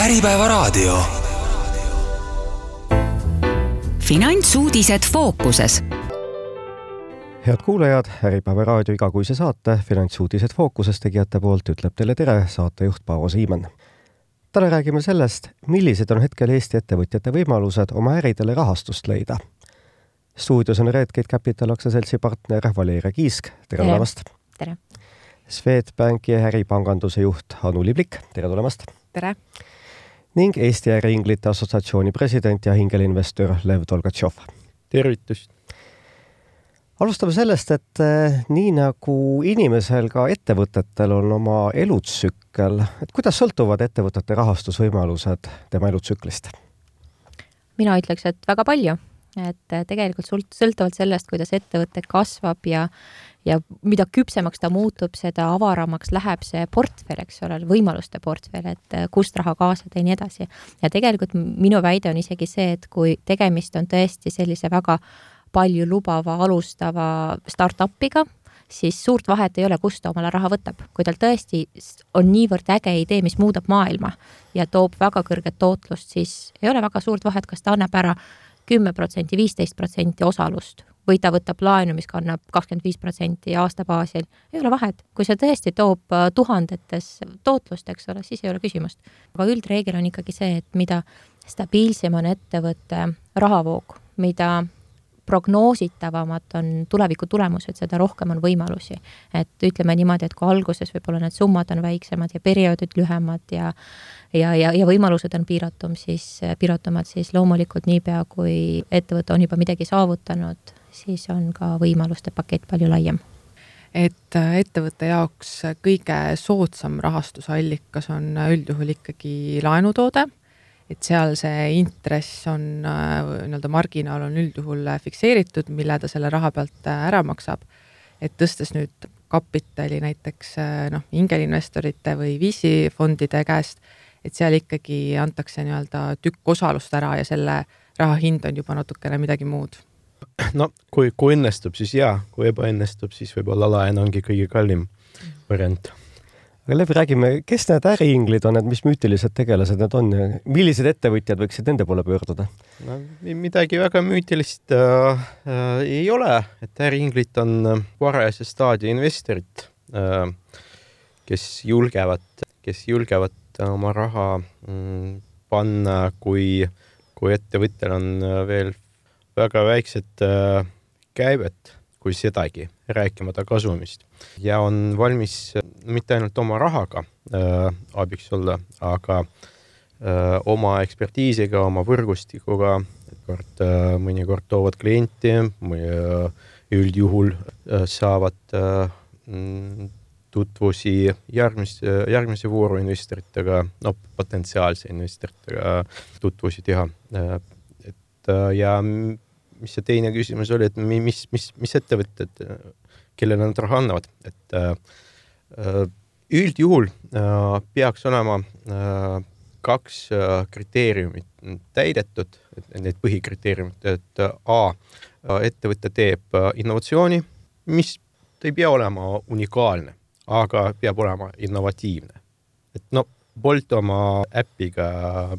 Äripäevaraadio. Finantsuudised fookuses. Head kuulajad, Äripäevaraadio igakuise saate Finantsuudised fookuses tegijate poolt ütleb teile tere saatejuht Paavo Siimann. Täna räägime sellest, millised on hetkel Eesti ettevõtjate võimalused oma äridele rahastust leida. Stuudios on Redgate Capital aktsiaseltsi partner Valeria Kiisk. Tere tulemast! Tere! Swedbanki äripanganduse juht Anu Liblik. Tere tulemast! Tere! Ning Eesti äriinglite assotsiatsiooni president ja hingelinvestor Lev Tolgatšov. Tervitust! Alustame sellest, et nii nagu inimesel ka ettevõtetel on oma elutsükkel, et kuidas sõltuvad ettevõtete rahastusvõimalused tema elutsüklist? Mina ütleks, et väga palju. Et tegelikult sõltuvalt sellest, kuidas ettevõte kasvab ja mida küpsemaks ta muutub, seda avaramaks läheb see portfell, eks ole, võimaluste portfell, et kust raha kaasada ja nii edasi. Ja tegelikult minu väide on isegi see, et kui tegemist on tõesti sellise väga palju lubava, alustava start-upiga, siis suurt vahet ei ole, kust ta omale raha võtab. Kui tal tõesti on niivõrd äge idee, mis muudab maailma ja toob väga kõrget tootlust, siis ei ole väga suurt vahet, kas ta annab ära 10%, 15% osalust või ta võtab laenu, mis kannab 25% aasta baasil. Ei ole vahet. Kui see tõesti toob tuhandetes tootlust, eks ole, siis ei ole küsimust. Aga üldreegel on ikkagi see, et mida stabiilsem on ettevõtte rahavoog, mida prognoositavamad on tuleviku tulemused, seda rohkem on võimalusi. Et ütleme niimoodi, et kui alguses võib-olla need summad on väiksemad ja perioodid lühemad ja võimalused on piiratumad, siis loomulikult niipea, kui ettevõte on juba midagi saavutanud, siis on ka võimaluste pakett palju laiem. Et ettevõtte jaoks kõige soodsam rahastusallikas on üldjuhul ikkagi laenutoode, et seal see intress on, marginaal on üldjuhul fikseeritud, mille ta selle raha pealt ära maksab. Et tõstes nüüd kapitali näiteks hingelinvestorite või VC-fondide käest, et seal ikkagi antakse tükk osalust ära ja selle raha hind on juba natukene midagi muud. No, kui õnnestub, siis jaa. Kui ebaõnnestub, siis võib-olla laen ongi kõige kallim variant. Aga Lev, räägime, kes need äriinglid on, et mis müütilised tegelased need on ja millised ettevõtjad võiksid nende poole pöörduda? No, midagi väga müütilist ei ole, et äriinglid on varajase staadia investorid, kes julgevad oma raha panna, kui ettevõttel on veel väga väiksed käibed, kui sedagi, rääkimata kasumist. Ja on valmis mitte ainult oma rahaga abiks olla, aga oma ekspertiisiga, oma võrgustikuga, mõnikord toovad klienti, üldjuhul saavad tutvusi järgmise vooru investoritega, potentsiaalse investoritega tutvusi teha. Ja mis see teine küsimus oli, et mis ettevõtted, kellele nad raha annavad. Et üldjuhul peaks olema 2 kriteeriumit täidetud, need põhikriteeriumid, et ettevõte teeb innovatsiooni, mis ei pea olema unikaalne, aga peab olema innovatiivne. Et Bolt oma äppiga,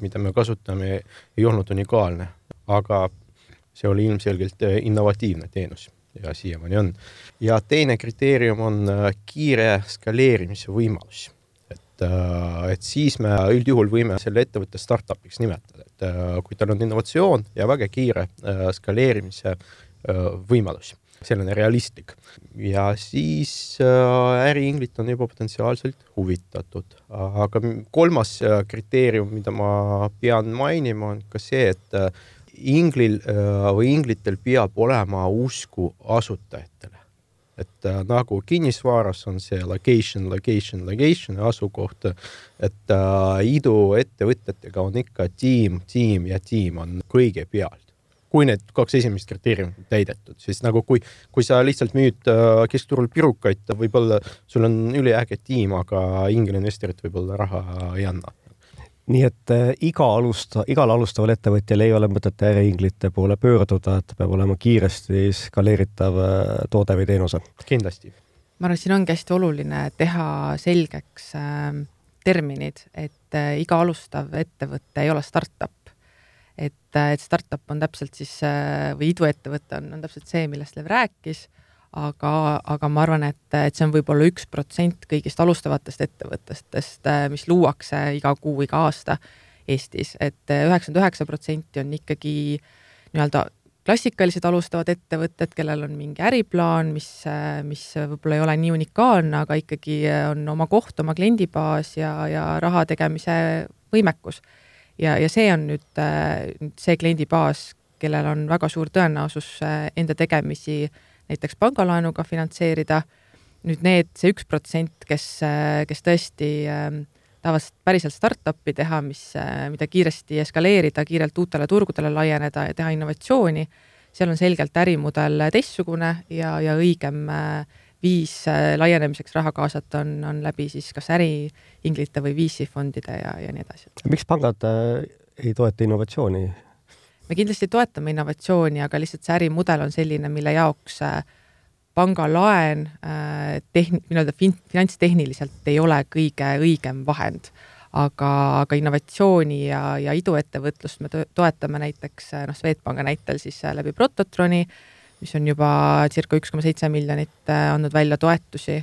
mida me kasutame, ei olnud unikaalne, aga see oli ilmselgelt innovatiivne teenus ja siiamaani on. Ja teine kriteerium on kiire skaleerimise võimalus. Et siis me üldjuhul võime selle ettevõtte startupiks nimetada. Et kui tal on innovatsioon ja väga kiire skaleerimise võimalus, selline realistlik. Ja siis äriinglit on juba potentsiaalselt huvitatud. Aga 3. kriteerium, mida ma pean mainima, on ka see, et inglil või inglitel peab olema usku asutajatele. Et nagu kinnisvaras on see location asukoht, et iduettevõtetega on ikka tiim ja tiim on kõige pealt. Kui need 2 esimest kriteeriumit täidetud, siis nagu kui sa lihtsalt müüd keskturul pirukaid, võib-olla sul on üliäge tiim, aga ingelinvestorit võib-olla raha ei anna. Nii et igal alustaval ettevõtjal ei ole mõtet äriinglite poole pöörduda, et peab olema kiiresti skaleeritav toode või teenuse. Kindlasti. Ma arvan, siin ongi hästi oluline teha selgeks terminid, et iga alustav ettevõte ei ole startup. Et startup on täpselt siis, või iduettevõte on täpselt see, millest Lev rääkis, aga ma arvan, et see on võib-olla 1% kõigist alustavatest ettevõttest, mis luuakse iga kuu, iga aasta Eestis, et 99% on ikkagi nii-öelda klassikalised alustavad ettevõtted, kellel on mingi äriplaan, mis võib-olla ei ole nii unikaalne, aga ikkagi on oma koht, oma kliendibaas ja raha tegemise võimekus. Ja see on nüüd see kliendibaas, kellel on väga suur tõenäosus enda tegemisi näiteks pangalaenuga finantseerida. Nüüd see 1%, kes tõesti tahavad päriselt startupi teha, mida kiiresti eskaleerida, kiirelt uutele turgudele laieneda ja teha innovatsiooni, seal on selgelt ärimudel teistsugune ja õigem viis laienemiseks raha kaasata on läbi siis kas äriinglite või VC-fondide ja nii edasi. Miks pangad ei toeta innovatsiooni? Me kindlasti toetame innovatsiooni, aga lihtsalt see ärimudel on selline, mille jaoks pangalaen finantstehniliselt ei ole kõige õigem vahend, aga innovatsiooni ja iduettevõtlust me toetame näiteks Swedbanka näitel siis läbi Prototroni, mis on juba circa 1,7 miljonit andnud välja toetusi.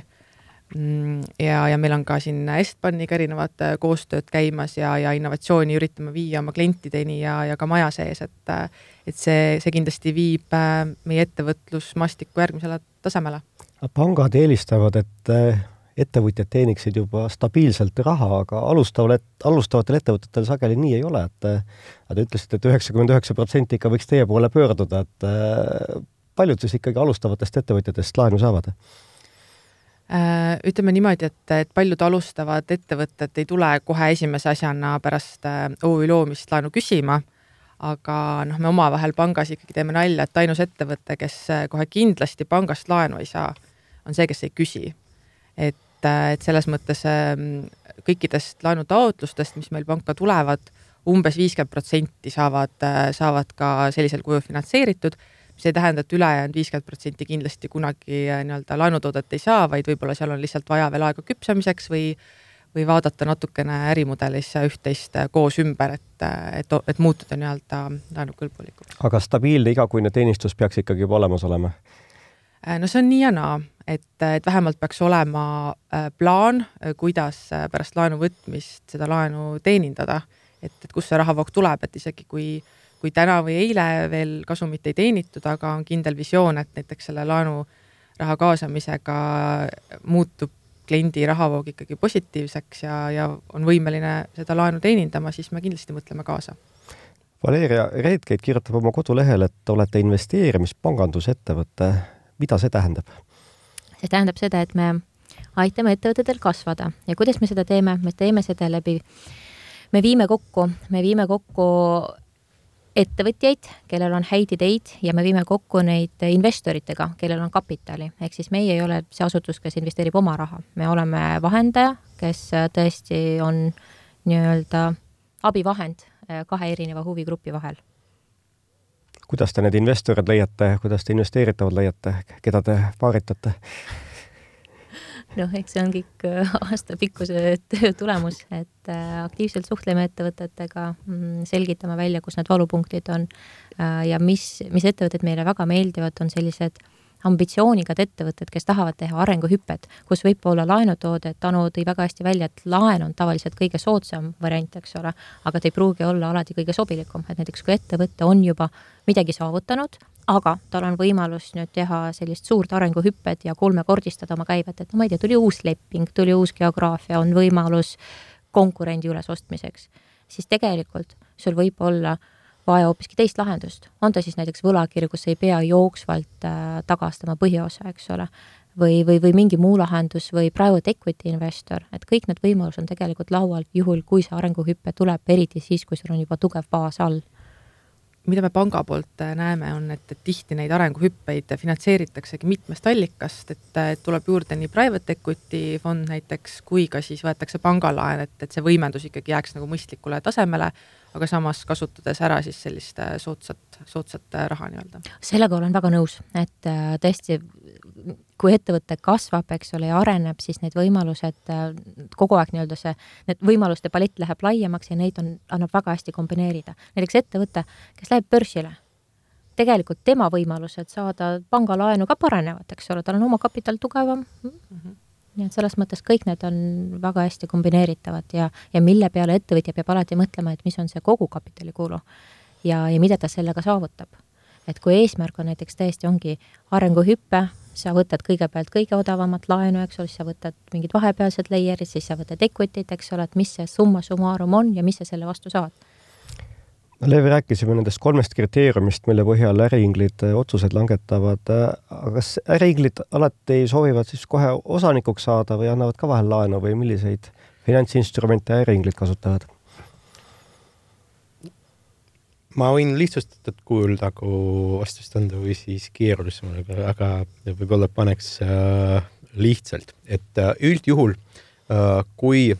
Ja meil on ka siin Estbaniga erinevad koostööd käimas ja innovatsiooni üritame viia oma klientideni ja ka maja sees, et see kindlasti viib meie ettevõtlusmastiku järgmisele tasemele. Pangad eelistavad, et ettevõtjad teeniksid juba stabiilselt raha, aga alustavatel ettevõtetel sageli nii ei ole, et ütlesite, et 99% ikka võiks teie poole pöörduda, et paljud siis ikkagi alustavatest ettevõtjatest laenu saavad? Ütleme niimoodi, et paljud alustavad ettevõtted ei tule kohe esimese asjana pärast OÜ loomist laenu küsima, aga me omavahel pangas ikkagi teeme nalja, et ainus ettevõte, kes kohe kindlasti pangast laenu ei saa, on see, kes ei küsi. Et selles mõttes kõikidest laenutaotlustest, mis meil panka tulevad, umbes 50% saavad ka sellisel kujul finantseeritud. See tähendab, et ülejäänud 50% kindlasti kunagi nii-öelda laenutoodet ei saa, vaid võib-olla seal on lihtsalt vaja veel aega küpsamiseks või vaadata natukene ärimudelis üht-teist koos ümber, et muutuda nii-öelda laenukõlbulikuks. Aga stabiilne igakuine teenistus peaks ikkagi juba olemas olema? No see on nii ja naa, et vähemalt peaks olema plaan, kuidas pärast laenu võtmist seda laenu teenindada, et kus see rahavoog tuleb, et isegi kui täna või eile veel kasumit ei teenitud, aga on kindel visioon, et näiteks selle laenu raha kaasamisega muutub kliendi rahavoog ikkagi positiivseks ja on võimeline seda laenu teenindama, siis me kindlasti mõtleme kaasa. Valeria Reetkeit kirjutab oma kodulehel, et olete investeerimispangandusettevõte. Mida see tähendab? See tähendab seda, et me aitame ettevõtetel kasvada ja kuidas me seda teeme? Me teeme seda läbi, me viime kokku ettevõtjaid, kellel on häid ideid ja me viime kokku neid investoritega, kellel on kapitali. Ehk siis meie ei ole see asutus, kes investeerib oma raha. Me oleme vahendaja, kes tõesti on nii-öelda abivahend kahe erineva huvigrupi vahel. Kuidas te need investorid leiate, kuidas te investeeritavad leiate, keda te paaritate? Eks see on kõik aastapikkuse töö tulemus, et aktiivselt suhtleme ettevõtetega, selgitame välja, kus need valupunktid on ja mis ettevõtted meile väga meeldivad, on sellised ambitsioonikad ettevõtted, kes tahavad teha arenguhüpped, kus võib olla laenutoode, et Anu tõi väga hästi välja, et laen on tavaliselt kõige soodsam variant, eks ole, aga ta ei pruugi olla alati kõige sobilikum, et näiteks kui ettevõte on juba midagi saavutanud, aga tal on võimalus nüüd teha sellist suurt arenguhüpped ja kolmekordistada oma käivet, et ma ei tea, tuli uus leping, tuli uus geograafia, on võimalus konkurendi üles ostmiseks, siis tegelikult sul võib olla vaja hoopiski teist lahendust. On ta siis näiteks võlakirju, kus ei pea jooksvalt tagastama põhiosa, eks ole, või mingi muu lahendus või private equity investor, et kõik need võimalus on tegelikult laual juhul, kui see arenguhüppe tuleb, eriti siis, kui sul on juba tugev baas all. Mida me panga poolt näeme, on, et tihti neid arenguhüppeid finantseeritaksegi mitmest allikast, et tuleb juurde nii private equity fond näiteks, kui ka siis võetakse pangalaen, et see võimendus ikkagi jääks nagu mõistlikule tasemele, aga samas kasutades ära siis sellist soodsat raha nii-öelda. Sellega olen väga nõus, et tõesti kui ettevõte kasvab, eks ole, ja areneb, siis need võimalused kogu aeg nii-öelda need võimaluste palett läheb laiemaks ja neid annab väga hästi kombineerida. Näiteks ettevõte, kes läheb börsile, tegelikult tema võimalused saada pangalaenu ka paranevad, eks ole, tal on oma kapital tugevam. Nii et selles mõttes kõik need on väga hästi kombineeritavad ja mille peale ettevõtja peab alati mõtlema, et mis on see kogu kapitalikulu ja mida ta sellega saavutab. Et kui eesmärk on näiteks tõesti ongi arenguhüppe, sa võtad kõigepealt kõige odavamat laenu, eks ole, siis sa võtad mingid vahepealsed layerid, siis sa võtad equity't, eks ole, et mis see summa summarum on ja mis sa selle vastu saad. Leevi, rääkisime nendest 3 kriteeriumist, mille põhjal äriinglid otsused langetavad. Aga kas äriinglid alati soovivad siis kohe osanikuks saada või annavad ka vahel laenu või milliseid finantsinstrumente äriinglid kasutavad? Ma võin lihtsustatud kujul nagu vastust anda või siis keerulisem, aga võib-olla paneks lihtsalt. Et üldjuhul, kui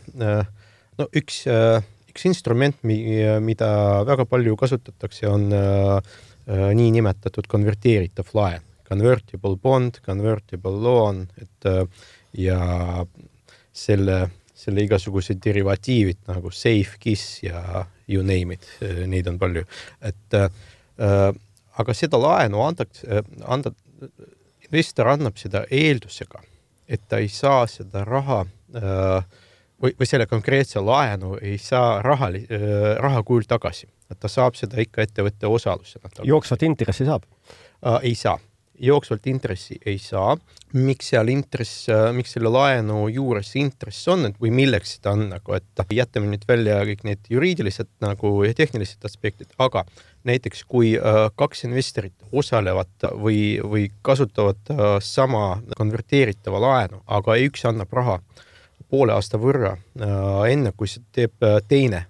üks instrument, mida väga palju kasutatakse, on nii nimetatud konverteeritav laen. Convertible bond, convertible loan, ja selle igasugused derivatiivid nagu safe, KISS ja you name it, neid on palju. Aga seda laenu investor annab seda eeldusega, et ta ei saa seda raha või selle konkreetse laenu ei saa raha kujul tagasi. Ta saab seda ikka ettevõtte osalusena. Jooksvat intressi saab? Ei saa. Jooksvalt intressi ei saa. Miks selle laenu juures intress on, või milleks seda on, et jätame nüüd välja kõik need juriidilised ja tehnilised aspektid, aga näiteks kui 2 investorit osalevad või kasutavad sama konverteeritava laenu, aga üks annab raha poole aasta võrra enne, kui see teeb teine,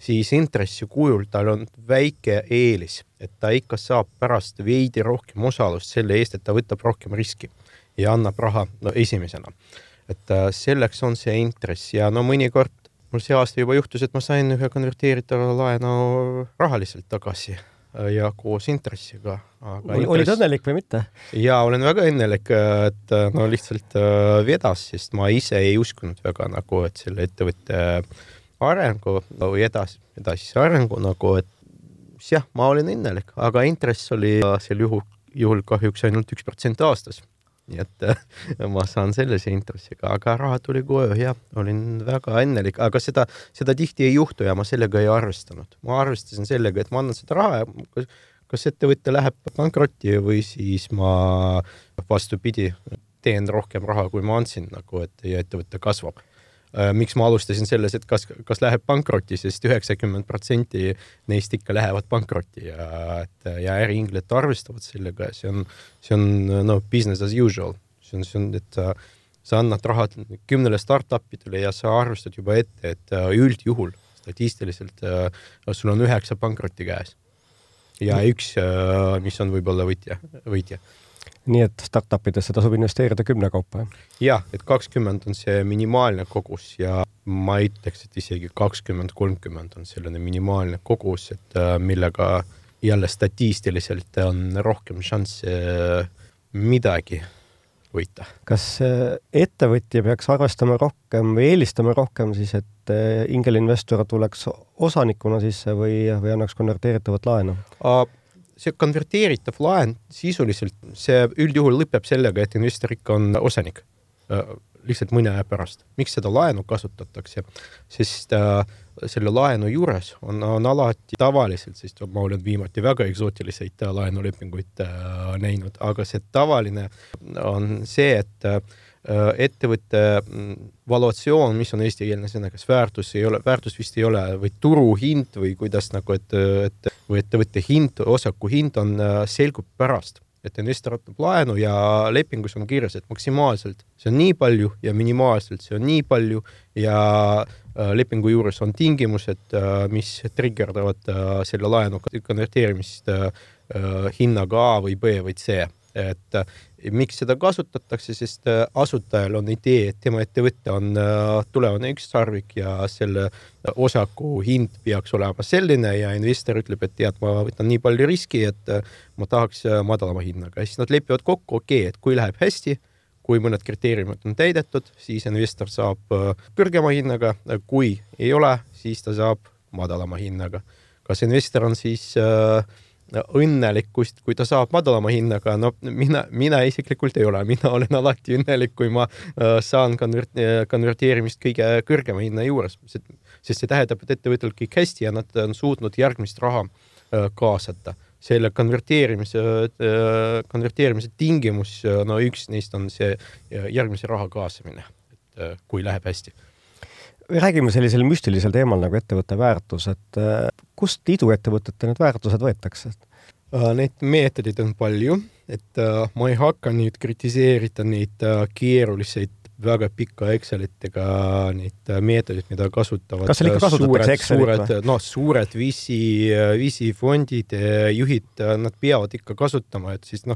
siis intressi kujul tal on väike eelis, et ta ikka saab pärast veidi rohkem osalust selle eest, et ta võtab rohkem riski ja annab raha esimesena. Et selleks on see intress ja mõnikord mul see aasta juba juhtus, et ma sain ühe konverteeritava laenu rahaliselt tagasi ja koos intressiga. Olid õnnelik või mitte? Ja olen väga õnnelik, et lihtsalt vedas, sest ma ise ei uskunud väga et selle ettevõtte arengu või edasi arengu et jah, ma olin õnnelik, aga intress oli sel juhul kahjuks ainult 1% aastas. Nii et ma saan sellise intressiga, aga raha tuli koju ja olin väga õnnelik, aga seda tihti ei juhtu ja ma sellega ei arvestanud. Ma arvestasin sellega, et ma annan seda raha ja kas ettevõtte läheb pankrotti või siis ma vastupidi teen rohkem raha, kui ma andsin, et ettevõtte kasvab. Miks ma alustasin selles, et kas läheb pankrotti, sest 90% neist ikka lähevad pankrotti ja äriinglid arvestavad sellega. See on business as usual. See on, et sa annad raha 10 startupidele ja sa arvestad juba ette, et üldjuhul statistiliselt sul on 9 pankrotti käes ja 1, mis on võib-olla võitja. Nii et startupidesse tasub investeerida 10 kaupa? Jah, et 20 on see minimaalne kogus ja ma ütleks, et isegi 20-30 on selline minimaalne kogus, et millega jälle statistiliselt on rohkem šansse midagi võita. Kas ettevõtja peaks arvestama rohkem või eelistama rohkem siis, et ingelinvestor tuleks osanikuna sisse või annaks konverteeritavat laenu? See konverteeritav laen sisuliselt, see üldjuhul lõpeb sellega, et investor ikka on osanik lihtsalt mõne aja pärast. Miks seda laenu kasutatakse? Sest selle laenu juures on alati tavaliselt, sest ma olen viimati väga eksootilised laenulepinguid näinud, aga see tavaline on see, et ettevõtte valuatsioon, mis on eestikeelne sõna, kas väärtus vist ei ole või turuhind või kuidas või ettevõtte hind, osaku hind on selgub pärast, et investor võtab laenu ja lepingus on kirjas, et maksimaalselt see on nii palju ja minimaalselt see on nii palju ja lepingu juures on tingimused, mis triggerdavad selle laenu konverteerimist hinnaga A või B või C. et miks seda kasutatakse, sest asutajal on idee, et tema ettevõte on tulevane ükssarvik ja selle osaku hind peaks olema selline ja investor ütleb, et tead, ma võtan nii palju riski, et ma tahaks madalama hinnaga. Ja siis nad lepivad kokku, et kui läheb hästi, kui mõned kriteeriumid on täidetud, siis investor saab kõrgema hinnaga, kui ei ole, siis ta saab madalama hinnaga. Kas investor on siis õnnelik, kui ta saab madalama hinnaga, no mina isiklikult ei ole, mina olen alati õnnelik, kui ma saan konverteerimist kõige kõrgema hinna juures, sest see tähendab, et ettevõttel kõik hästi ja nad on suutnud järgmist raha kaasata. Selle konverteerimise tingimus, no üks neist on see järgmise raha kaasamine, et kui läheb hästi. Räägime sellisel müstilisel teemal nagu ettevõtte väärtus, et kust iduettevõtete need väärtused võetakse? Neid meetodid on palju, et ma ei hakka nüüd kritiseerida neid keeruliseid väga pika Excelitega neid meetodid, mida kasutavad kas ikka kasutatakse Excelit? Suured VC fondid, juhid, nad peavad ikka kasutama, et siis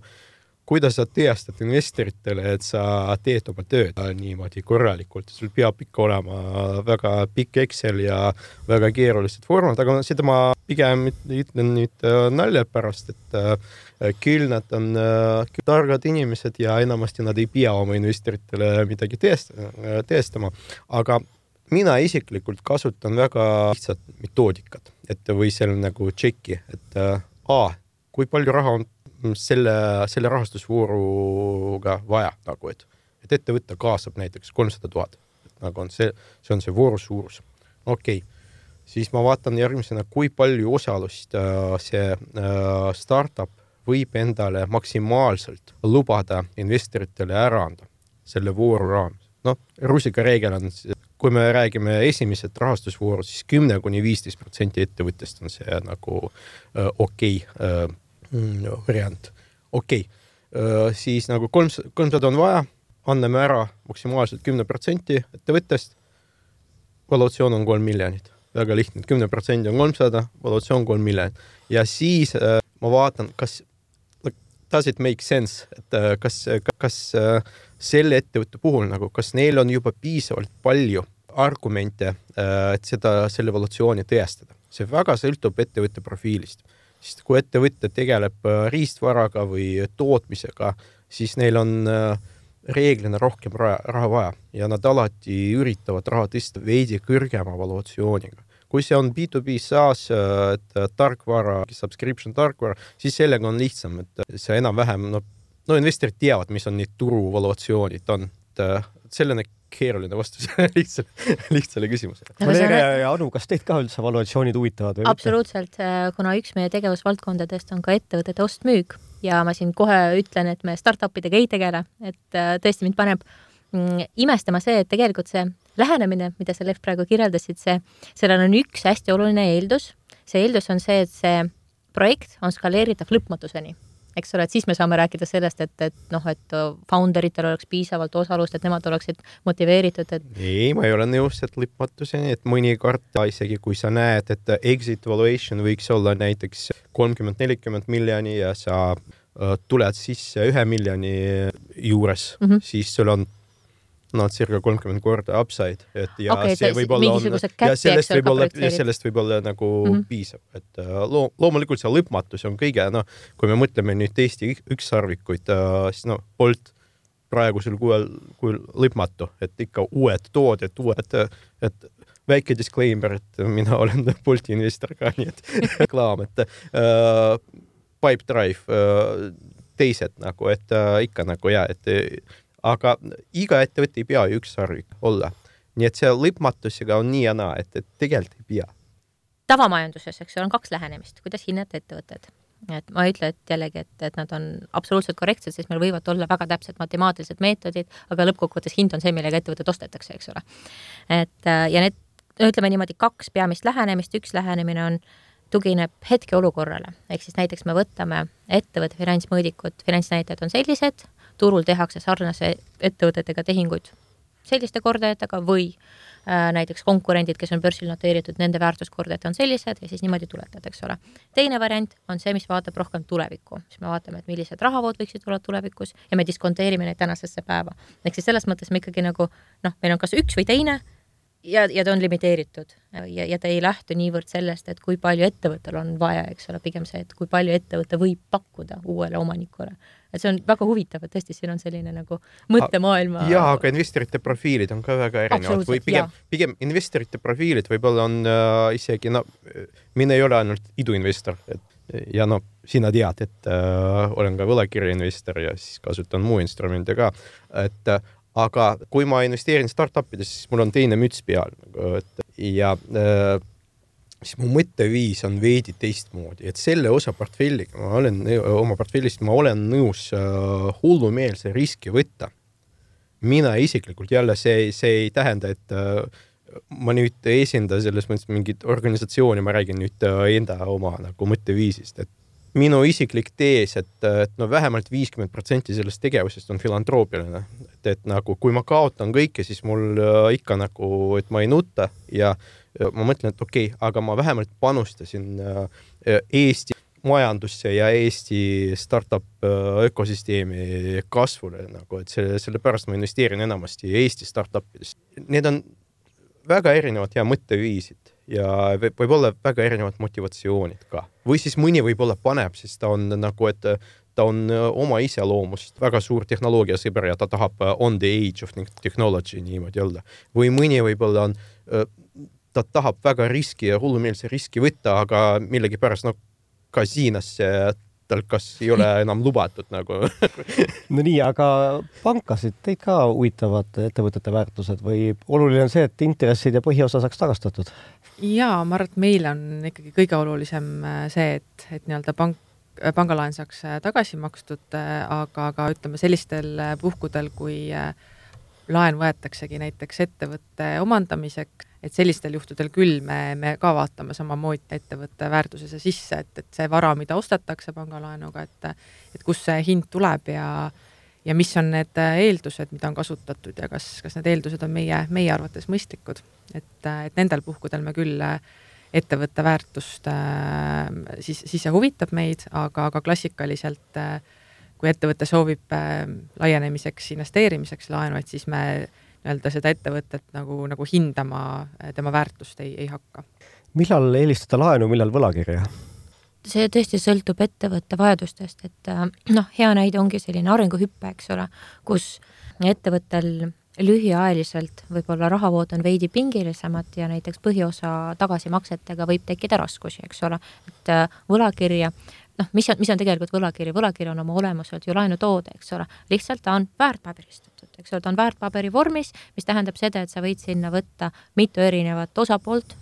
kuidas sa teastad investoritele, et sa teed oma tööd niimoodi korralikult. Sul peab ikka olema väga pikk Excel ja väga keerulised formad, aga seda ma pigem ütlen nüüd nalja pärast, et küll nad on targad inimesed ja enamasti nad ei pea oma investoritele midagi teestama. Aga mina isiklikult kasutan väga lihtsat metoodikat, et või seal nagu tšeki, et kui palju raha on selle rahastusvooruga vaja, nagu et ettevõte kaasab näiteks 300 000, nagu on see on see vooru suurus. Okei. Siis ma vaatan järgmisena, kui palju osalust see startup võib endale maksimaalselt lubada investoritele ära anda selle vooru raames. Rusika reegel on, kui me räägime esimesed rahastusvoorud, siis 10–15% ettevõttest on see nagu variant. Okei. Siis nagu 300 on vaja, anname ära maksimaalselt 10% ettevõttest, valuatsioon on 3 miljonit. Väga lihtne, 10% on 300, valuatsioon 3 miljonit. Ja siis ma vaatan, does it make sense, et kas selle ettevõtte puhul, nagu, kas neil on juba piisavalt palju argumente, et selle valuatsiooni tõestada. See väga sõltub ettevõtte profiilist. Sest kui ettevõte tegeleb riistvaraga või tootmisega, siis neil on reeglina rohkem raha vaja ja nad alati üritavad raha tõsta veidi kõrgema valuatsiooniga. Kui see on B2B SaaS, tarkvara, subscription tarkvara, siis sellega on lihtsam, et see enam-vähem, investorid teavad, mis on need turu valuatsioonid on. Selline keeruline vastus lihtsale küsimusele. Valeria ja Anu, kas teid ka üldse valuatsioonid huvitavad? Absoluutselt, kuna üks meie tegevusvaldkondadest on ka ettevõtete ostmüük ja ma siin kohe ütlen, et me startupidega ei tegele, et tõesti mind paneb imestama see, et tegelikult see lähenemine, mida sa Lev praegu kirjeldasid, sellel on üks hästi oluline eeldus. See eeldus on see, et see projekt on skaleeritav lõpmatuseni. Eks ole, et siis me saame rääkida sellest, et founderitel oleks piisavalt osalust, et nemad oleksid motiveeritud. Ei, ma ei ole nõus, et lõpmatuseni, et mõnikord isegi kui sa näed, et exit valuation võiks olla näiteks 30-40 miljoni ja sa tuled sisse 1 miljoni juures, siis sul on circa 30 korda upside, et ja see võib olla sellest võib olla nagu piisab, et loomulikult see lõpmatus on kõige, kui me mõtleme nüüd Eesti ükssarvikuid, siis Bolt praegusel kuul lõpmatu, et ikka uued tooded, et väike disclaimer, et mina olen Bolti investor ka, nii et reklaam, et Pipedrive, teised nagu, et ikka nagu aga iga ettevõte ei pea ükssarvik olla. Nii et see lõpmatusega on nii ja naa, et tegelikult ei pea. Tavamajanduses, eks on 2 lähenemist, kuidas hinnata ettevõtted. Et ma ütlen, et jällegi, et nad on absoluutselt korrektsed, sest meil võivad olla väga täpsed matemaatilised meetodid, aga lõppkokkuvõttes hind on see, millega ettevõtted ostetakse, eks ole. Ja need, ütleme niimoodi 2 peamist lähenemist, üks lähenemine tugineb hetkeolukorrale. Ehk siis näiteks me võtame ettevõtte finantsmõõdikud, finantsnäitajad on sellised, turul tehakse sarnase ettevõtetega tehinguid selliste kordajatega või näiteks konkurendid, kes on börsil noteeritud, nende väärtuskordajad on sellised ja siis niimoodi tuletad, eks ole. Teine variant on see, mis vaatab rohkem tulevikku, siis me vaatame, et millised rahavood võiksid olla tulevikus ja me diskonteerime neid tänasesse päeva. Ehk siis selles mõttes me ikkagi nagu, meil on kas üks või teine ja ta on limiteeritud ja ta ei lähtu niivõrd sellest, et kui palju ettevõttel on vaja, eks ole, pigem see, et kui palju ettevõte võib pakkuda uuele omanikule. Et see on väga huvitav, et tõesti siin on selline nagu mõttemaailma. Jaa, aga investorite profiilid on ka väga erinevad. Või pigem investorite profiilid võib-olla on isegi, mina ei ole ainult iduinvestor. Ja sina tead, et olen ka võlakirjainvestor ja siis kasutan muu instrumente ka. Aga kui ma investeerin startupides, siis mul on teine müts peal. Ja siis mu mõtteviis on veidi teistmoodi, et selle osa portfelliga oma portfellist ma olen nõus hullumeelse riski võtta. Mina isiklikult jälle see ei tähenda, et ma nüüd esinda selles mõttes mingit organisatsiooni, ma räägin nüüd enda oma nagu mõtteviisist, et minu isiklik tees, et vähemalt 50% sellest tegevusest on filantroppiline. Et nagu, kui ma kaotan kõike, siis mul ikka nagu, et ma ei nuta ja ma mõtlen, et okei, aga ma vähemalt panustasin Eesti majandusse ja Eesti startup ökosüsteemi kasvule, nagu, et selle pärast ma investeerin enamasti Eesti startupidest. Need on väga erinevad ja mõtteviisid ja võib-olla väga erinevad motivatsioonid ka. Või siis mõni võib-olla paneb, sest ta on nagu, et ta on oma iseloomust väga suur tehnoloogiasõber ja ta tahab on the age of technology niimoodi olla. Või mõni võib-olla on, ta tahab väga riski ja hullumeelse riski võtta, aga millegi pärast kasiinasse tal kas ei ole enam lubatud nagu. No nii, aga pankasid teid ka huvitavad ettevõtete väärtused või oluline on see, et intressid ja põhiosa saaks tagastatud? Jaa, ma arvan, et meil on ikkagi kõige olulisem see, et nii-öelda pangalaen saaks tagasi makstud, aga ütleme sellistel puhkudel, kui laen võetaksegi näiteks ettevõtte omandamiseks, et sellistel juhtudel küll me ka vaatame samamoodi ettevõtte väärtusesse sisse, et see vara, mida ostetakse pangalaenuga, et kus see hind tuleb ja mis on need eeldused, mida on kasutatud ja kas need eeldused on meie arvates mõistlikud. Et nendel puhkudel me küll ettevõtte väärtust siis huvitab meid, aga klassikaliselt kui ettevõte soovib laienemiseks, investeerimiseks laenu, et siis me nii-öelda seda ettevõtet nagu hindama tema väärtust ei hakka. Millal eelistada laenu, millal võlakirja? See tõesti sõltub ettevõtte vajadustest, et hea näide ongi selline arenguhüppe, eks ole, kus ettevõttel lühiajaliselt võib-olla rahavood on veidi pingilisemad ja näiteks põhiosa tagasimaksetega võib tekkida raskusi, eks ole, et võlakirja, mis on tegelikult võlakiri? Võlakiri on oma olemuselt ju laenutoode, eks ole. Lihtsalt ta on väärtpaberistatud, eks ole, ta on väärtpaberi vormis, mis tähendab seda, et sa võid sinna võtta mitu erinevat osapoolt,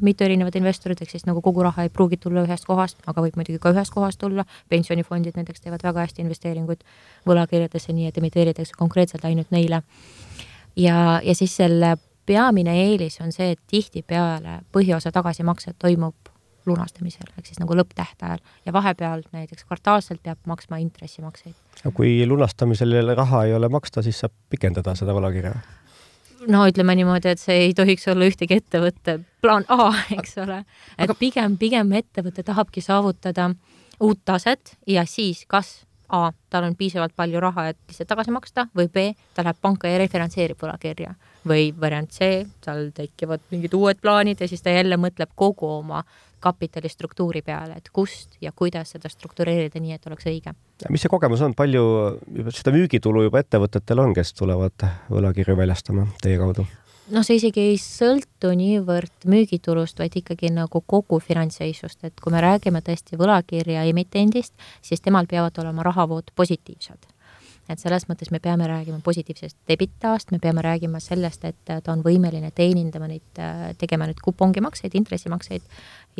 mitu erinevat investorit, ehk siis nagu kogu raha ei pruugi tulla ühest kohast, aga võib muidugi ka ühest kohast tulla. Pensionifondid näiteks teevad väga hästi investeeringuid võlakirjadesse, nii et emiteeritakse konkreetselt ainult neile. Ja siis selle peamine eelis on see, et tihtipeale põhiosa tagasimakset toimub lunastamisel, ehk siis nagu lõpptähtajal ja vahepeal näiteks kvartaalselt peab maksma intressimakseid. Kui lunastamisel raha ei ole maksta, siis saab pikendada seda võlakirja? No ütleme niimoodi, et see ei tohiks olla ühtegi ettevõtte plaan A, eks ole. Et pigem ettevõte tahabki saavutada uut taset ja siis kas A, tal on piisavalt palju raha, et lihtsalt tagasi maksta või B, ta läheb panka ja refinantseerib võlakirja või variant C, tal tekivad mingid uued plaanid ja siis ta jälle mõtleb kogu oma kapitalistruktuuri peale, et kust ja kuidas seda struktureerida nii, et oleks õige. Mis see kogemus on? Palju seda müügitulu juba ettevõtetel on, kes tulevad võlakirju väljastama teie kaudu? See isegi ei sõltu niivõrd müügitulust, vaid ikkagi nagu kogu finantsseisust, et kui me räägime tõesti võlakirja emitendist, siis temal peavad olema rahavood positiivsed. Et selles mõttes me peame räägima positiivsest debitaast, me peame räägima sellest, et ta on võimeline teenindama neid, tegema nüüd kupongimakseid, intressimakseid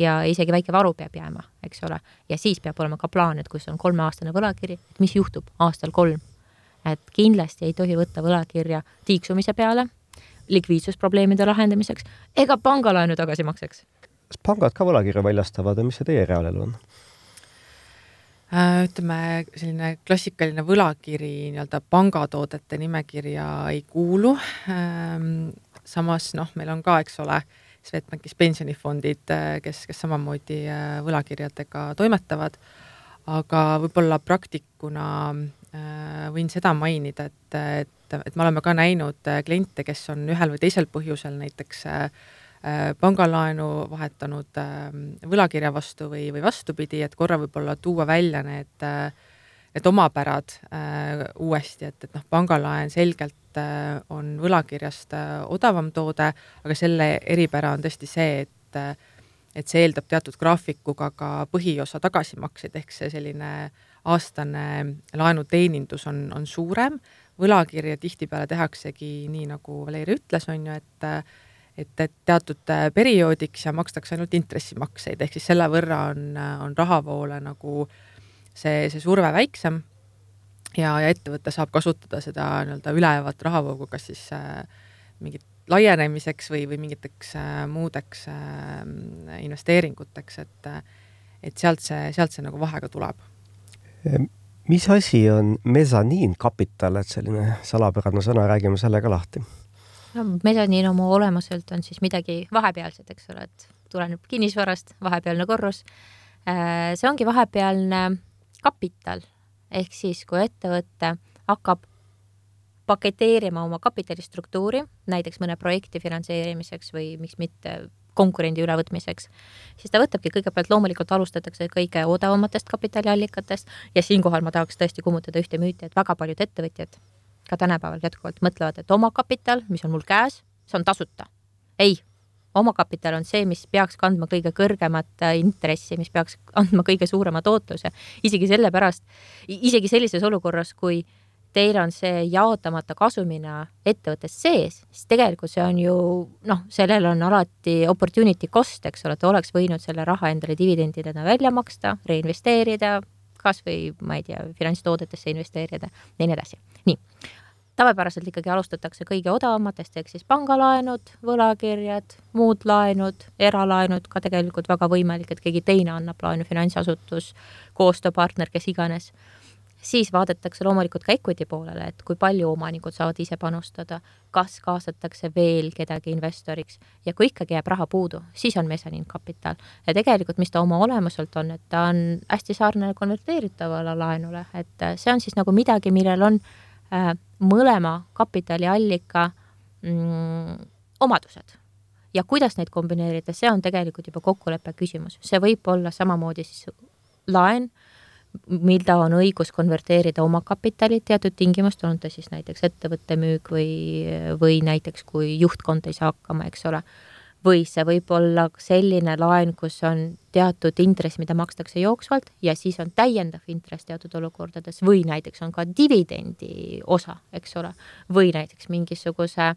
ja isegi väike varu peab jääma, eks ole. Ja siis peab olema ka plaan, et kus on 3-aastane võlakiri, et mis juhtub aastal 3. Et kindlasti ei tohi võtta võlakirja tiiksumise peale, likviidsusprobleemide lahendamiseks ega pangalaenu tagasimakseks. Kas pangad ka võlakirja väljastavad ja mis see teie reaalelu on? Ütleme, selline klassikaline võlakiri nii-öelda pangatoodete nimekirja ei kuulu. Samas, meil on ka, eks ole, Swedbankis pensionifondid, kes samamoodi võlakirjadega toimetavad, aga võib-olla praktikuna võin seda mainida, et me oleme ka näinud kliente, kes on ühel või teisel põhjusel näiteks pangalaenu vahetanud võlakirja vastu või vastupidi, et korra võib-olla tuua välja need omapärad uuesti, et pangalaen selgelt on võlakirjast odavam toode, aga selle eripära on tõesti see, et see eeldab teatud graafikuga ka põhiosa tagasimakseid, ehk see selline aastane laenuteenindus on suurem. Võlakirja tihtipeale tehaksegi nii, nagu Valeri ütles, on ju, et teatud perioodiks ja makstakse ainult intressimakseid, ehk siis selle võrra on rahavoole nagu see surve väiksem ja ettevõte saab kasutada seda nii-öelda ülevat rahavoogu, kas siis mingit laienemiseks või mingiteks muudeks investeeringuteks, et sealt see nagu vahega tuleb. Mis asi on mesaniinkapital, et selline salapärane sõna, räägime selle ka lahti? No, mesaniin oma olemuselt on siis midagi vahepealset, eks ole, et tuleneb kinnisvarast, vahepealne korrus. See ongi vahepealne kapital, ehk siis, kui ettevõte hakkab paketeerima oma kapitalistruktuuri, näiteks mõne projekti finantseerimiseks või miks mitte konkurendi ülevõtmiseks, siis ta võtabki kõigepealt, loomulikult alustatakse kõige odavamatest kapitaliallikatest ja siinkohal ma tahaks tõesti kummutada ühte müüti, et väga paljud ettevõtjad ka tänapäeval jätkuvalt mõtlevad, et oma kapital, mis on mul käes, see on tasuta. Ei, oma kapital on see, mis peaks kandma kõige kõrgemat intressi, mis peaks andma kõige suurema tootluse. Isegi sellises olukorras, kui teil on see jaotamata kasumina ettevõttes sees, siis tegelikult see on ju, sellel on alati opportunity cost, eks ole, et oleks võinud selle raha endale dividendidena välja maksta, reinvesteerida, kas või, ma ei tea, finantstoodetesse investeerida ja nii edasi. Nii, tavapäraselt ikkagi alustatakse kõige odavamatest, ehk siis pangalaenud, võlakirjad, muud laenud, eralaenud, ka tegelikult väga võimalik, et keegi teine annab laenu, finantsasutus, koostööpartner, kes iganes. Siis vaadatakse loomulikult ka equity poolele, et kui palju omanikud saavad ise panustada, kas kaasatakse veel kedagi investoriks ja kui ikkagi jääb raha puudu, siis on mesaniinkapital. Ja tegelikult, mis ta oma olemuselt on, et ta on hästi sarnane konverteeritavale laenule, et see on siis nagu midagi, millel on mõlema kapitaliallika omadused. Ja kuidas neid kombineerida, see on tegelikult juba kokkuleppe küsimus. See võib olla samamoodi siis laen, mida on õigus konverteerida oma kapitali teatud tingimust, on ta siis näiteks ettevõtte müük või näiteks kui juhtkond ei saa hakkama, eks ole. Või see võib olla selline laen, kus on teatud intress, mida makstakse jooksvalt ja siis on täiendav intress teatud olukordades või näiteks on ka dividendi osa, eks ole. Või näiteks mingisuguse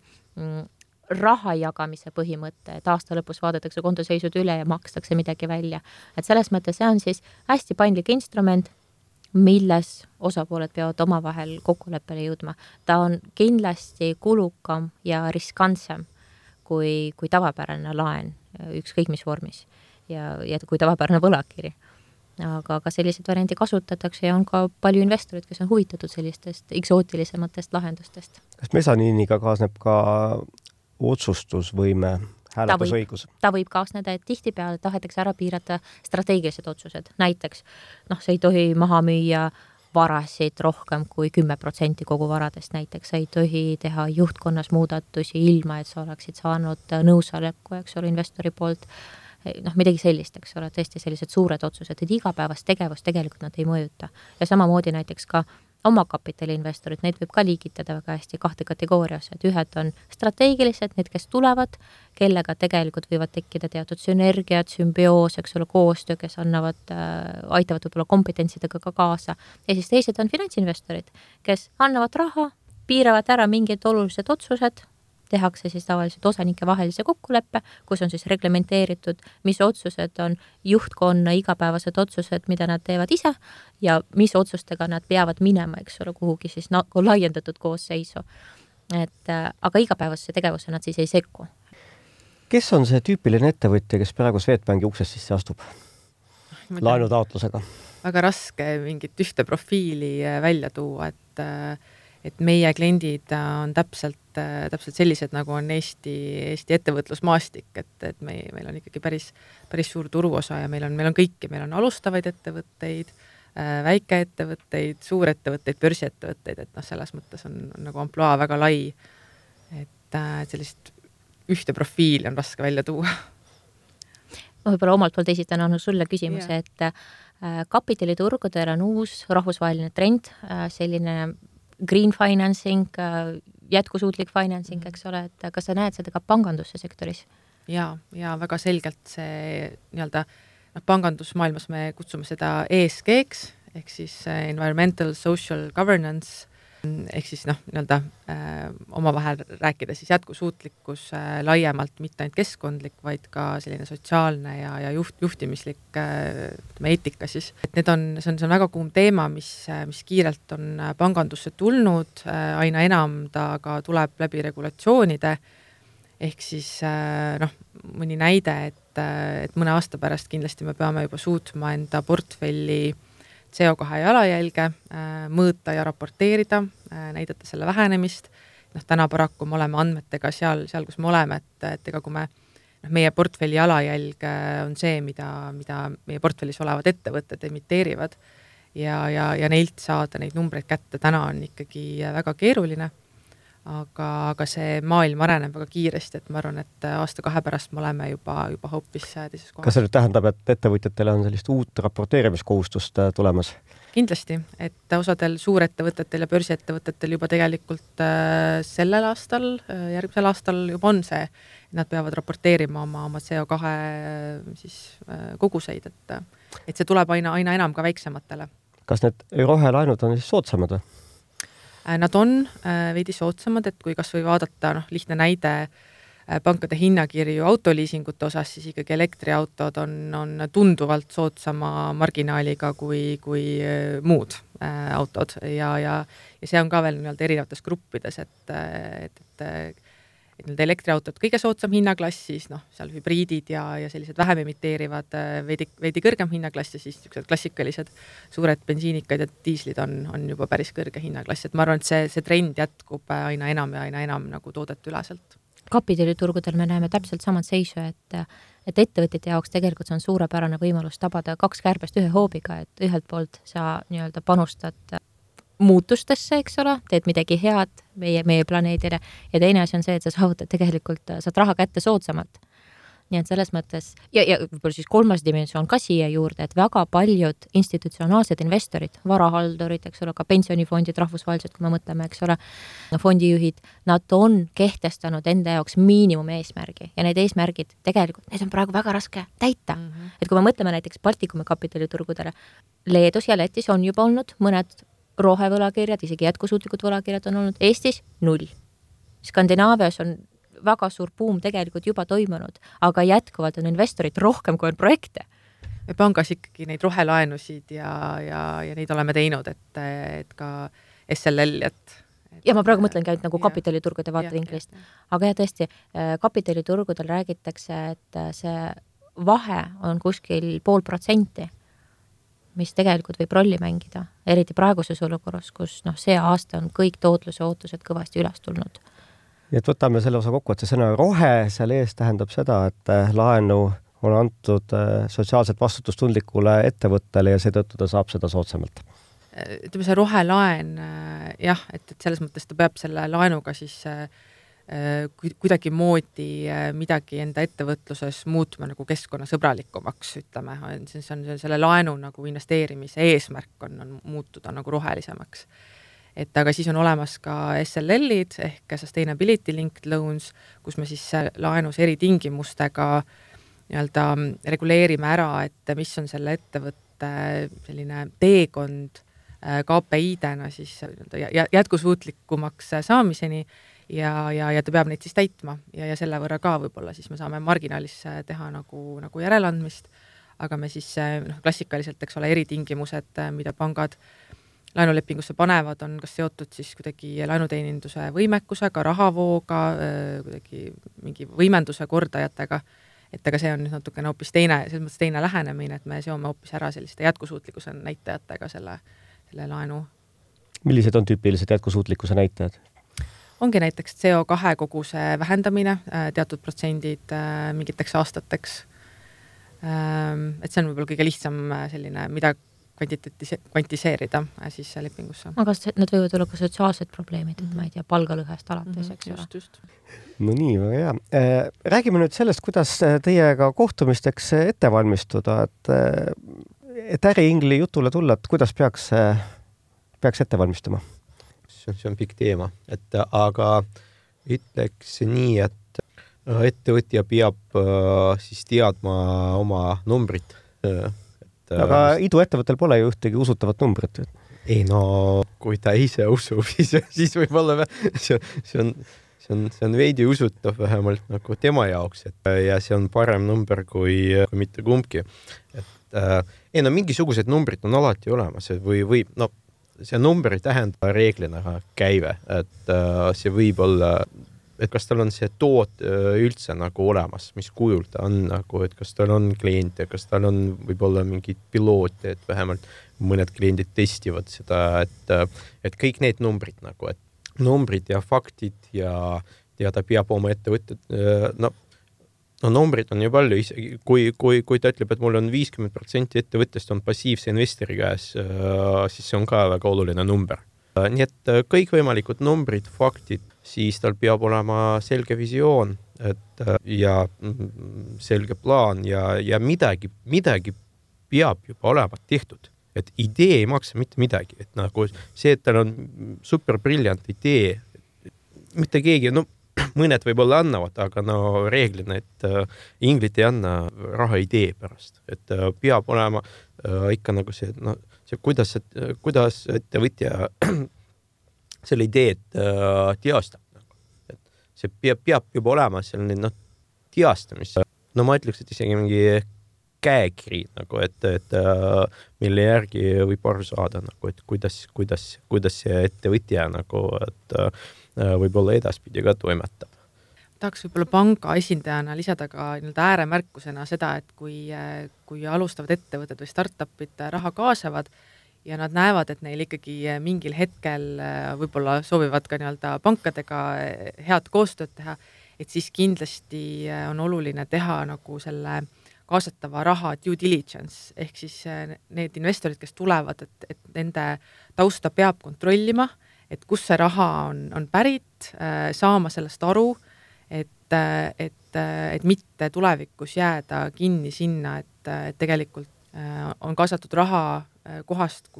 raha jagamise põhimõte, et aasta lõpus vaadatakse kontoseisud üle ja makstakse midagi välja. Et selles mõttes see on siis hästi paindlik instrument, milles osapooled peavad omavahel kokkuleppele jõudma. Ta on kindlasti kulukam ja riskantsem kui tavapärane laen, ükskõik mis vormis ja kui tavapärane võlakiri. Aga sellised variandi kasutatakse ja on ka palju investorid, kes on huvitatud sellistest eksootilisematest lahendustest. Kas mesaniiniga kaasneb ka otsustusvõime, hääletusõigus? Ta võib kaasneda, et tihtipeale tahetakse ära piirata strateegilised otsused. Näiteks, see ei tohi maha müüa varasid rohkem kui 10% kogu varadest. Näiteks sa ei tohi teha juhtkonnas muudatusi ilma, et sa oleksid saanud nõusoleku, eks ole, investori poolt. Midagi sellist, eks ole, tõesti sellised suured otsused, et igapäevast tegevust tegelikult nad ei mõjuta. Ja samamoodi näiteks ka oma kapitaliinvestorid, neid võib ka liigitada väga hästi 2 kategooriasse, et ühed on strateegilised, need, kes tulevad, kellega tegelikult võivad tekkida teatud sünergiad, sümbioos, eks ole, koostöö, kes aitavad võib-olla kompetentsidega ka kaasa. Ja siis teised on finantsinvestorid, kes annavad raha, piiravad ära mingid olulised otsused, tehakse siis tavaliselt osanike vahelise kokkuleppe, kus on siis reglementeeritud, mis otsused on juhtkonna igapäevased otsused, mida nad teevad ise ja mis otsustega nad peavad minema, eks ole, kuhugi siis laiendatud koosseisu. Aga igapäevase tegevuse nad siis ei sekku. Kes on see tüüpiline ettevõtja, kes praegu Swedbanki uksest sisse astub? laenutaotlusega? Väga raske mingit ühte profiili välja tuua, et meie kliendid on täpselt sellised, nagu on Eesti ettevõtlusmaastik, et meil on ikkagi päris suur turuosa ja meil on kõiki, meil on alustavaid ettevõtteid, väikeettevõtteid, suurettevõtteid, börsiettevõtteid, et selles mõttes on nagu ampluaa väga lai, et sellist ühte profiili on raske välja tuua. Ma võib-olla omalt poolt esitan sulle küsimuse, et kapitaliturgudel on uus rahvusvaheline trend, selline green financing, jätkusuutlik financing, eks ole, et kas sa näed seda ka panganduse sektoris? Ja väga selgelt see pangandusmaailmas me kutsume seda ESG-ks, ehk siis Environmental Social Governance, ehk siis omavahel rääkida siis jätkusuutlikkus laiemalt, mitte ainult keskkondlik, vaid ka selline sotsiaalne ja juhtimislik eetika siis. Et see on väga kuum teema, mis kiirelt on pangandusse tulnud, aina enam ta ka tuleb läbi regulatsioonide, ehk siis mõni näide, et mõne aasta pärast kindlasti me peame juba suutma enda portfelli CO2 jalajälge mõõta ja raporteerida, näidata selle vähenemist. Täna paraku me oleme andmetega seal, kus me oleme, et ega kui meie portfelli jalajälg on see, mida meie portfellis olevad ettevõtted emiteerivad ja neilt saada neid numbreid kätte täna on ikkagi väga keeruline. Aga see maailm areneb väga kiiresti, et ma arvan, et aasta-kahe pärast me oleme juba hoopis teises kohas. Kas see nüüd tähendab, et ettevõtjatele on sellist uut raporteerimiskohustust tulemas? Kindlasti, et osadel suurettevõtetel ja börsiettevõtetel juba tegelikult sellel aastal, järgmisel aastal juba on see, et nad peavad raporteerima oma CO2 siis, koguseid, et see tuleb aina enam ka väiksematele. Kas need rohelaenud on siis soodsamad? Nad on veidi soodsamad, et kui kas või vaadata lihtne näide pankade hinnakirju autoliisingute osas, siis ikkagi elektriautod on tunduvalt soodsama marginaaliga kui muud autod ja see on ka veel erinevates gruppides, et elektriautod kõige soodsam hinnaklass, siis seal hübriidid ja sellised vähem emiteerivad veidi kõrgem hinnaklass ja siis klassikalised suured bensiinikad ja diislid on juba päris kõrge hinnaklass, et ma arvan, et see trend jätkub aina enam nagu toodet üleselt. Kapitaliturgudel me näeme täpselt samad seisu, et ettevõtjate jaoks tegelikult see on suurepärane võimalus tabada 2 kärbest ühe hoobiga, et ühelt poolt sa panustad muutustesse, eks ole, teed midagi head meie planeedile ja teine asi on see, et sa saavutad tegelikult, saad raha kätte soodsamalt. Nii et selles mõttes, ja võib-olla siis 3. dimensioon ka siia juurde, et väga paljud institutsionaalsed investorid, varahaldurid, eks ole, ka pensionifondid rahvusvaheliselt, kui me mõtleme, eks ole, fondijuhid, nad on kehtestanud enda jaoks miinimum eesmärgi ja need eesmärgid tegelikult, need on praegu väga raske täita. Et kui me mõtleme näiteks Baltikumi kapitaliturgudele, Leedus ja Lätis on juba olnud mõned rohevõlakirjad, isegi jätkusuutlikud võlakirjad on olnud, Eestis 0. Skandinaavias on väga suur buum tegelikult juba toimunud, aga jätkuvalt on investorid rohkem kui on projekte. Me pangas ikkagi neid rohelaenusid ja neid oleme teinud, et ka SLL, ja ma praegu mõtlengi ainult nagu kapitaliturgude vaatevinklist. Aga tõesti, kapitaliturgudel räägitakse, et see vahe on kuskil 0,5%, mis tegelikult võib rolli mängida, eriti praeguses olukorras, kus see aasta on kõik tootluse ootused kõvasti üles tulnud. Ja et võtame selle osa kokku, et see sõna rohe seal ees tähendab seda, et laenu on antud sotsiaalselt vastutustundlikule ettevõttele ja seetõttu ta saab seda soodsamalt. Ütleme see rohelaen, jah, et selles mõttes ta peab selle laenuga siis kuidagi moodi midagi enda ettevõtluses muutma nagu keskkonnasõbralikumaks, ütleme. See on selle laenu nagu investeerimise eesmärk on muutuda nagu rohelisemaks. Et aga siis on olemas ka SLL-id ehk Sustainability Linked Loans, kus me siis laenus eri tingimustega reguleerime ära, et mis on selle ettevõtte selline teekond KPI-dena siis jätkusuutlikumaks saamiseni ja ta peab neid siis täitma ja selle võrra ka võib-olla siis me saame marginaalis teha nagu järeleandmist, aga me siis klassikaliselt, eks ole, eritingimused, mida pangad laenulepingusse panevad, on kas seotud siis kuidagi laenuteeninduse võimekusega, rahavooga, kuidagi mingi võimenduse kordajatega, et aga see on nüüd natukene hoopis teine, selles mõttes teine lähenemine, et me seome hoopis ära selliste jätkusuutlikkuse näitajatega selle laenu. Millised on tüüpilised jätkusuutlikkuse näitajad? Ongi näiteks CO2 koguse vähendamine, teatud protsendid mingiteks aastateks. Et see on võib-olla kõige lihtsam selline, mida kvantiseerida siis lepingusse. Aga need võivad olla ka sotsiaalsed probleemid, et ma ei tea, palgalõhest alates, eks ole. Just. No nii, väga hea. Räägime nüüd sellest, kuidas teiega kohtumisteks ette valmistuda, et äriingli jutule tulla, et kuidas peaks ette valmistuma? See on pikk teema, aga ütleks nii, et ettevõtja peab siis teadma oma numbrit. Aga iduettevõttel pole ju ühtegi usutavat numbrit. Ei no, kui ta ise usub, siis võib-olla see on veidi usutav vähemalt nagu tema jaoks, ja see on parem number kui mitte kumbki. Mingisugused numbrid on alati olemas või see number ei tähenda reeglina käive, et see võib olla, et kas tal on see toot üldse nagu olemas, mis kujul ta on nagu, et kas tal on kliente, kas tal on võib-olla mingid piloote, et vähemalt mõned kliendid testivad seda, et kõik need numbrid nagu, et numbrid ja faktid ja ta peab oma ettevõtted, numbrid on ju palju, kui ta ütleb, et mul on 50% ettevõttest on passiivse investori käes, siis see on ka väga oluline number. Nii et kõikvõimalikud numbrid, faktid, siis tal peab olema selge visioon ja selge plaan ja midagi peab juba olema tehtud. Et idee ei maksa mitte midagi. Et nagu see, et tal on superbriljant idee, mitte keegi, mõned võib-olla annavad, aga reeglina, et inglid ei anna raha idee pärast. Et peab olema ikka nagu see, kuidas ettevõtja selle ideed teostab. Et see peab juba olema selline teostamis. Ma ütleks, et isegi mingi käekiri, nagu, et mille järgi võib aru saada, nagu, et kuidas see ettevõtja nagu, et võib-olla edaspidi ka toimetab. Tahaks võib-olla panga esindajana lisada ka ääremärkusena seda, et kui alustavad ettevõtted või startupid raha kaasavad ja nad näevad, et neil ikkagi mingil hetkel võib-olla soovivad ka pankadega head koostööd teha, et siis kindlasti on oluline teha nagu selle kaasatava raha due diligence, ehk siis need investorid, kes tulevad, et nende tausta peab kontrollima, et kus see raha on pärit, saama sellest aru, et mitte tulevikus jääda kinni sinna, et tegelikult on kaasatud raha kohast,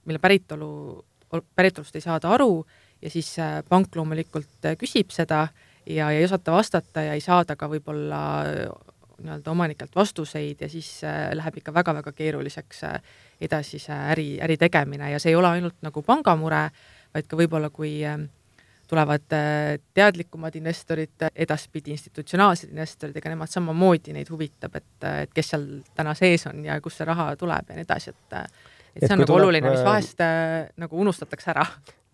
mille päritolust ei saada aru ja siis pank loomulikult küsib seda ja ei osata vastata ja ei saada ka võib-olla omanikelt vastuseid ja siis läheb ikka väga-väga keeruliseks edasi see äri tegemine ja see ei ole ainult nagu pangamure, vaid ka võib-olla kui tulevad teadlikumad investorid, edaspidi institutsionaalsed investorid, ega nemad samamoodi neid huvitab, et kes seal täna sees on ja kus see raha tuleb ja nii edasi, et see on nagu oluline, mis vahest nagu unustatakse ära.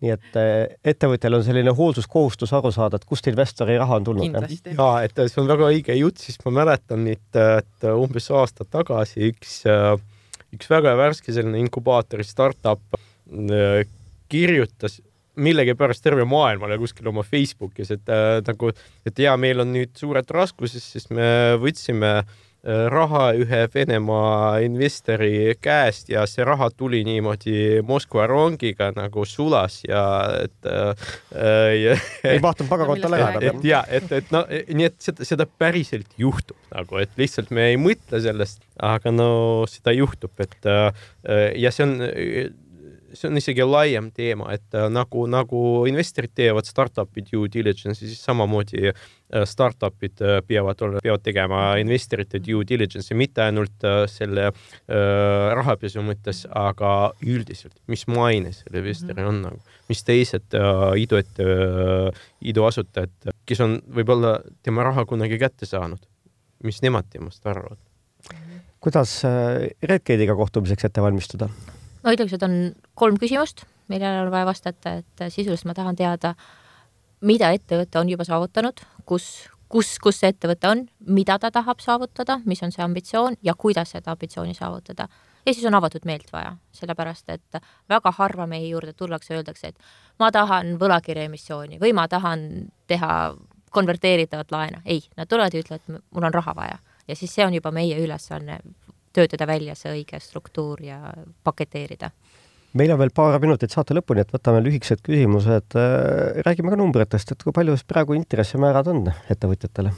Nii et ettevõtjal on selline hoolsuskohustus aru saada, et kust investori raha on tulnud. Kindlasti. Ja, et see on väga õige jutt, siis ma mäletan, et umbes aasta tagasi üks väga värske selline inkubaatori startup kirjutas millegi pärast terve maailmale kuskil oma Facebookis, et meil on nüüd suured raskuses, sest me võtsime raha ühe Venemaa investori käest ja see raha tuli niimoodi Moskva rongiga nagu sulas ja ei vahtanud pagakontole ka. Nii et seda päriselt juhtub nagu, et lihtsalt me ei mõtle sellest, aga seda juhtub, ja see on isegi laiem teema, et nagu investorid teevad startupi due diligence, siis samamoodi startupid peavad tegema investorite due diligence, mitte ainult selle rahapesu mõttes, aga üldiselt, mis maine selle investori on, mis teised iduasutajad, kes on võib-olla tema raha kunagi kätte saanud, mis nemad temast arvavad. Kuidas Redgate'iga kohtumiseks ette valmistuda? Ma ütleks, et on 3 küsimust, millele on vaja vastata, et sisuliselt ma tahan teada, mida ettevõte on juba saavutanud, kus kus see ettevõte on, mida ta tahab saavutada, mis on see ambitsioon ja kuidas seda ambitsiooni saavutada. Ja siis on avatud meelt vaja, sellepärast et väga harva meie juurde tullakse ja öeldakse, et ma tahan võlakirjaemissiooni või ma tahan teha konverteeritavat laena. Ei, nad tulevad ja ütlevad, et mul on raha vaja. Ja siis see on juba meie ülesanne töötada välja see õige struktuur ja paketeerida. Meil on veel paar minutit saate lõpuni, et võtame lühikesed küsimused. Räägime ka numbritest, et kui palju praegu intressimäärad on ettevõtjatele?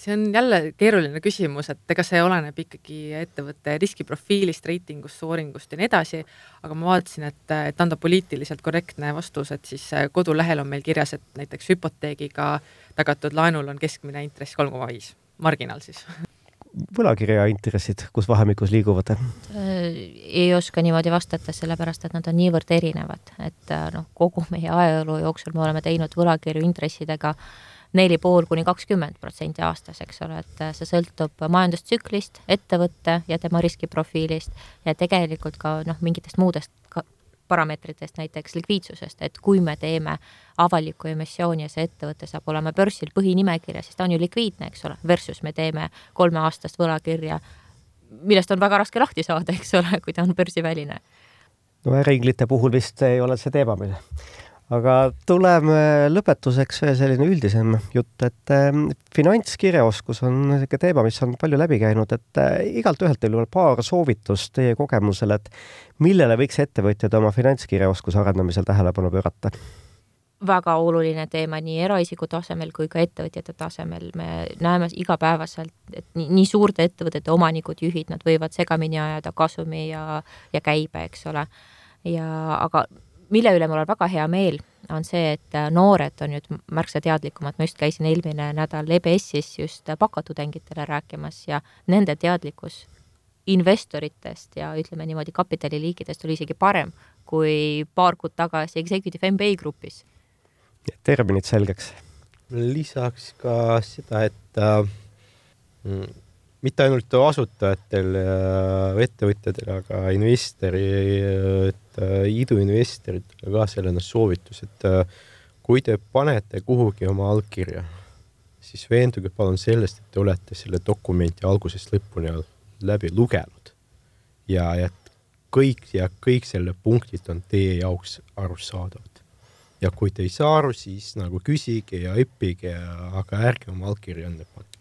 See on jälle keeruline küsimus, et ega see oleneb ikkagi ettevõtte riskiprofiilist, reitingust, sooringust ja nii edasi, aga ma vaatasin, et anda poliitiliselt korrektne vastus, et siis kodulehel on meil kirjas, et näiteks hüpoteegiga tagatud laenul on keskmine intress 3,5, marginaal siis. Võlakirja intressid, kus vahemikus liiguvad? Ei oska niimoodi vastata, sellepärast, et nad on niivõrd erinevad, et kogu meie ajaloo jooksul me oleme teinud võlakirju intressidega 4,5–20% aastas, eks ole, et see sõltub majandustsüklist, ettevõtte ja tema riskiprofiilist ja tegelikult ka mingitest muudest parameetritest, näiteks likviidsusest, et kui me teeme avaliku emissiooni ja see ettevõte saab olema börsil põhinimekirja, siis ta on ju likviidne, eks ole, versus me teeme 3 aastast võlakirja, millest on väga raske lahti saada, eks ole, kui ta on börsiväline. No ringlite puhul vist ei ole see teema meil. Aga tuleme lõpetuseks selline üldisem jutt, et finantskirjaoskus on teema, mis on palju läbi käinud, et igalt ühelt teil on paar soovitust teie kogemusel, et millele võiks ettevõtjad oma finantskirjaoskuse arendamisel tähelepanu pöörata? Väga oluline teema nii eraisiku tasemel kui ka ettevõtjate tasemel. Me näeme igapäevaselt, et nii suurte ettevõtete omanikud, juhid, nad võivad segamini ajada kasumi ja käibe, eks ole. Aga mille üle mul on väga hea meel, on see, et noored on nüüd märksa teadlikumad. Ma just käisin eelmine nädal EBS-is just bakatudengitele rääkimas ja nende teadlikkus investoritest ja ütleme niimoodi kapitaliliikidest oli isegi parem kui paar kuud tagasi Executive MBA grupis. Terminid selgeks. Lisaks ka seda, et mitte ainult asutajatel ettevõtjatel, aga iduinvestoritele ka selline soovitus, et kui te panete kuhugi oma allkirja, siis veenduge palun sellest, et te olete selle dokumenti algusest lõpuni läbi lugenud ja kõik selle punktid on teie jaoks arusaadavad. Ja kui te ei saa aru, siis nagu küsige ja õppige, aga ärge oma allkirja enne panna.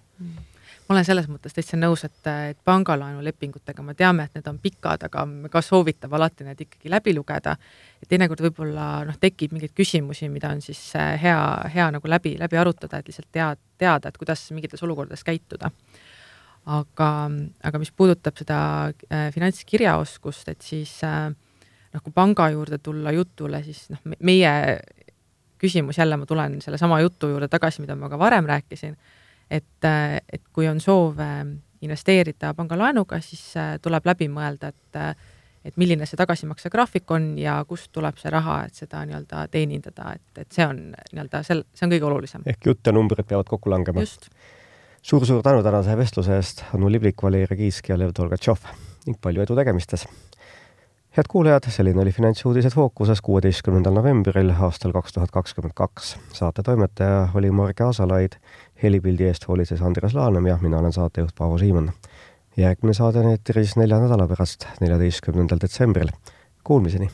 Ma olen selles mõttes täitsa nõus, et pangalaenu lepingutega me teame, et need on pikad, aga me ka soovitab alati need ikkagi läbi lugeda. Et teinekord võib-olla tekib mingeid küsimusi, mida on siis hea nagu läbi arutada, et lihtsalt teada, et kuidas mingites olukordades käituda. Aga mis puudutab seda finantskirjaoskust, et siis kui panga juurde tulla jutule, siis meie küsimus jälle, ma tulen selle sama jutu juurde tagasi, mida ma ka varem rääkisin, et kui on soov investeerida pangalaenuga, siis tuleb läbi mõelda, et milline see tagasimakse graafik on ja kust tuleb see raha, et seda nii-öelda teenindada, et see on see on kõige olulisem. Ehk jutt ja numbrid peavad kokku langema. Just. Suur tänu tänase vestluse eest, Anu Liblik, Valeria Kiisk ja Lev Tolgatšov ning palju edu tegemistes. Head kuulajad, selline oli Finantsuudised Fookuses 16. novembril aastal 2022. Saate toimetaja oli Marge Asalaid, helipildi eest hoolitses Andres Laanem ja mina olen saatejuht Paavo Siimann. Järgmine saade on eetris 4 nädala pärast, 14. detsembril. Kuulmiseni!